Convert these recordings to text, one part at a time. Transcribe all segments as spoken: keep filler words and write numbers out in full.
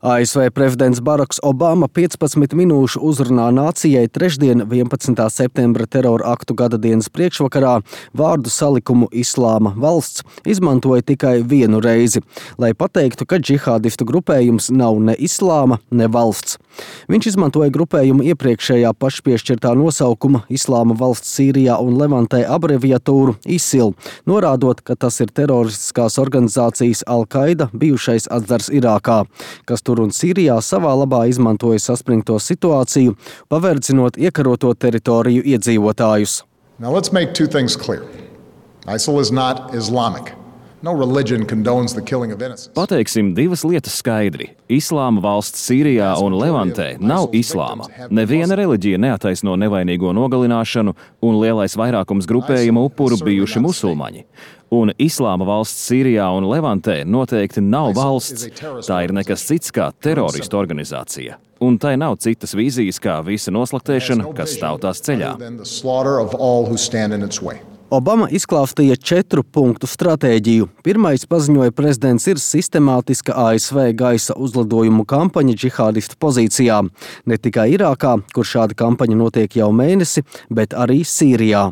A S V prezidents Baraks Obama piecpadsmit minūšu uzrunā nācijai trešdien, vienpadsmitā septembra terora aktu gada dienas priekšvakarā vārdu salikumu Islāma valsts izmantoja tikai vienu reizi, lai pateiktu, ka džihādistu grupējums nav ne islāma, ne valsts. Viņš izmantoja grupējumu iepriekšējā pašpiešķirtā nosaukuma Islāma valsts Sīrijā un Levantē abreviatūru ISIL, norādot, ka tas ir teroristiskās organizācijas Al-Qaida bijušais atzars Irākā, kas tur un Sīrijā savā labā izmantoja saspringto situāciju, paverdzinot iekaroto teritoriju iedzīvotājus. Now let's make two things clear. ISIL is not Islamic. No religion condones the killing of innocents. Pateiksim divas lietas skaidri. Islāma valsts Sīrijā un Levantē nav islāma. Neviena reliģija neataisno nevainīgo nogalināšanu, un lielais vairākums grupējuma upuru bijuši musulmaņi. Un Islāma valsts Sīrijā un Levantē noteikti nav valsts. Tā ir nekas cits kā teroristu organizācija. Un tai nav citas vīzijas kā visa noslaktēšana, kas stāv tās ceļā. Obama izklāstīja četru punktu stratēģiju. Pirmais, paziņoja prezidents, ir sistemātiska A S V gaisa uzlidojumu kampaņa džihādistu pozīcijā. Ne tikai Irākā, kur šāda kampaņa notiek jau mēnesi, bet arī Sīrijā.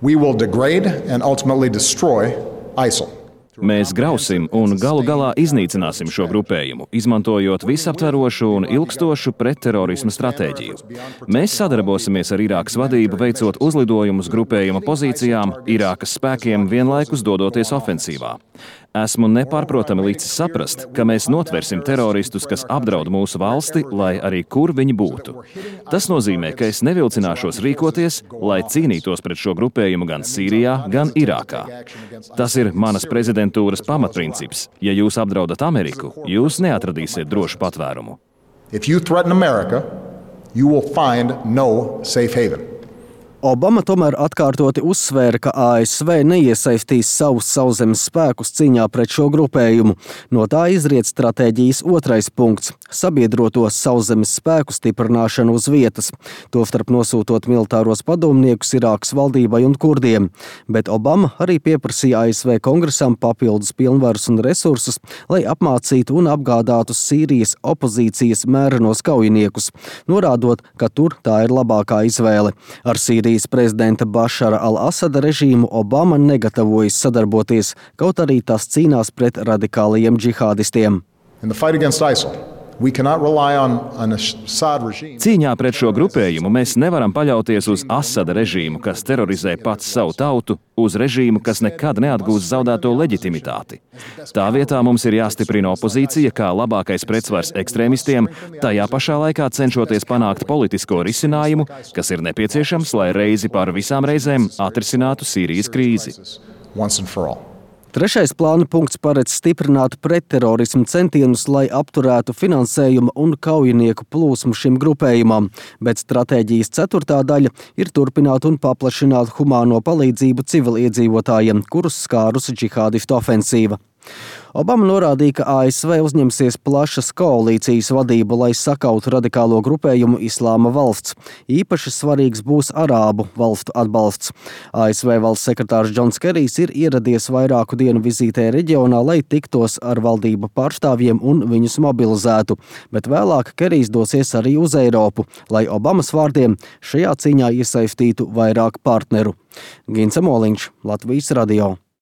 We will degrade and ultimately destroy ISIL. Mēs grausim un galu galā iznīcināsim šo grupējumu, izmantojot visaptverošu un ilgstošu pretterorisma stratēģiju. Mēs sadarbosimies ar Irākas vadību, veicot uzlidojumus grupējuma pozīcijām, Irākas spēkiem vienlaikus dodoties ofensīvā. Esmu nepārprotami licis saprast, ka mēs notversim teroristus, kas apdraud mūsu valsti, lai arī kur viņi būtu. Tas nozīmē, ka es nevilcināšos rīkoties, lai cīnītos pret šo grupējumu gan Sīrijā, gan Irākā. Tas ir manas prezidentūras pamatprincips. Ja jūs apdraudat Ameriku, jūs neatradīsiet drošu patvērumu. If you threaten America, you will find no safe haven. Obama tomēr atkārtoti uzsvēra, ka A S V neiesaistīs savus sauszemes spēkus cīņā pret šo grupējumu. No tā izriet stratēģijas otrais punkts – sabiedroto sauszemes spēku stiprināšanu uz vietas, tostarp nosūtot militāros padomniekus Irākas valdībai un kurdiem. Bet Obama arī pieprasīja A S V kongresam papildus pilnvarus un resursus, lai apmācītu un apgādātu Sīrijas opozīcijas mērenos kaujiniekus, norādot, ka tur tā ir labākā izvēle. Ar Sīrijas prezidenta Bašara al-Asada režīmu Obama negatavojas sadarboties, kaut arī tas cīnās pret radikālajiem džihādistiem. Cīņā pret šo grupējumu mēs nevaram paļauties uz Asada režīmu, kas terorizē pats savu tautu, uz režīmu, kas nekad neatgūs zaudēto leģitimitāti. Tā vietā mums ir jāstiprina opozīcija kā labākais pretsvars ekstrēmistiem, tajā pašā laikā cenšoties panākt politisko risinājumu, kas ir nepieciešams, lai reizi par visām reizēm atrisinātu Sīrijas krīzi. Trešais plāna punkts paredz stiprināt pretterorismu centienus, lai apturētu finansējumu un kaujinieku plūsmu šim grupējumam, bet stratēģijas ceturtā daļa ir turpināt un paplašināt humāno palīdzību civiliedzīvotājiem, kurus skārusi džihādistu ofensīva. Obama norādīja, ka A S V uzņemsies plašas koalīcijas vadību, lai sakautu radikālo grupējumu Islāma valsts. Īpaši svarīgs būs arābu valstu atbalsts. A S V valsts sekretārs Džons Kerijs ir ieradies vairāku dienu vizītē reģionā, lai tiktos ar valdību pārstāvjiem un viņus mobilizētu, bet vēlāk Kerijs dosies arī uz Eiropu, lai Obamas vārdiem šajā cīņā iesaistītu vairāk partneru. Gints Moliņš, Latvijas radio.